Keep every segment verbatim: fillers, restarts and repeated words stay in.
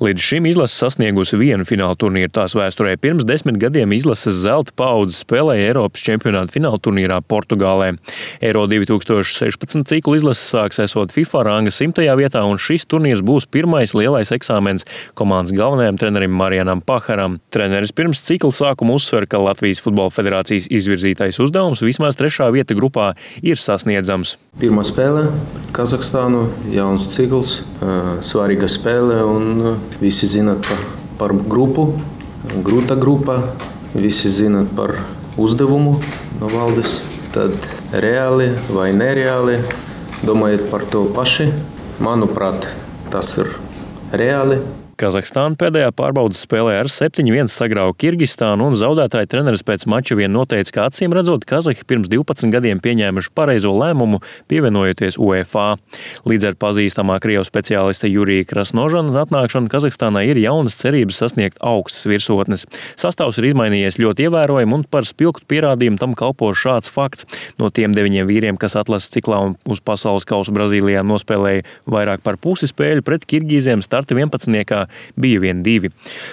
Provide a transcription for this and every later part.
Līdz šim izlase sasniegusi vienu fināla turnīru tās vēsturē. Pirms desmit gadiem izlases zelta paudze spēlēja Eiropas čempionāta fināla turnīrā Portugālē. Eiro divi tūkstoši sešpadsmit ciklu izlases sāks esot FIFA ranga simtajā vietā, un šis turnīrs būs pirmais lielais eksāmens komandas galvenajam trenerim Marianam Paharam. Treneris pirms cikla sākuma uzsver, ka Latvijas Futbola federācijas izvirzītais uzdevums vismaz trešā vieta grupā ir sasniedzams. Pirmā spēle pret Kazahstānu, jauns cikls, svarīga spēle un visi zināt par, par grupu, grūta grupa, visi zināt par uzdevumu no valdes. Tad reāli vai nereāli domājiet par to paši. Manuprāt, tas ir reāli. Kazahstāna pēdējā pārbaudes spēlē ar septiņi viens sagrauja Kirgistānu, un zaudētāja treneris pēc mača vien noteica, ka acīm redzot Kazahi pirms divpadsmit gadiem pieņēmuši pareizo lēmumu, pievienojoties UEFA. Līdz ar pazīstamā krievu speciālista Jurija Krasnožana atnākšanu Kazahstānai ir jaunas cerības sasniegt augstas virsotnes. Sastāvs ir izmainījies ļoti ievērojami, un par spilgtu pierādījumu tam kalpo šāds fakts. No tiem deviņiem vīriem, kas atlases ciklā un uz pasaules kausa Brazīlijā nospēlēja vairāk par pusi spēļu, pret kirgīziem starta vienpadsmitniekā bija vien divi.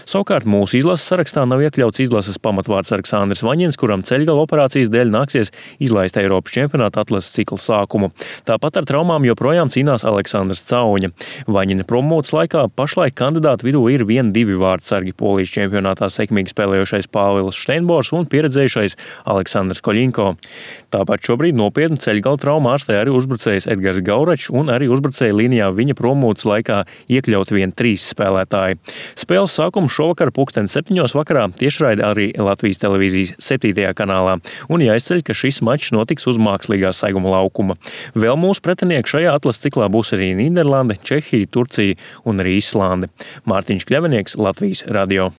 Savukārt mūsu izlases sarakstā nav iekļauts izlases pamatvārds Aleksandrs Vaņins, kuram ceļgala operācijas dēļ nāksies izlaist Eiropas čempionāta atlases cikla sākumu. Tāpat ar traumām joprojām cīnās Aleksandrs Cauņa. Vaņina promotas laikā pašlaik kandidātu vidū ir vien divi vārdsargi – Polijas čempionātā sekmīgi spēlējošais Pāvils Šteinbors un pieredzējušais Aleksandrs Koļinko. Tāpat šobrīd nopietnu ceļgala traumu ārstē arī uzbrucējs Edgars Gauračs, un arī uzbrucēja līnijā viņa promotas laikā iekļaut vien trīs spēlētāji. Spēles sākums šovakar pulksten septiņos vakarā tiešraide arī Latvijas televīzijas septītajā kanālā, un jāizceļ, ka šis mačs notiks uz mākslīgā seguma laukuma. Vēl mūsu pretinieki šajā atlases ciklā būs arī Nīderlande, Čehija, Turcija un arī Islande. Mārtiņš Kļavinieks, Latvijas radio.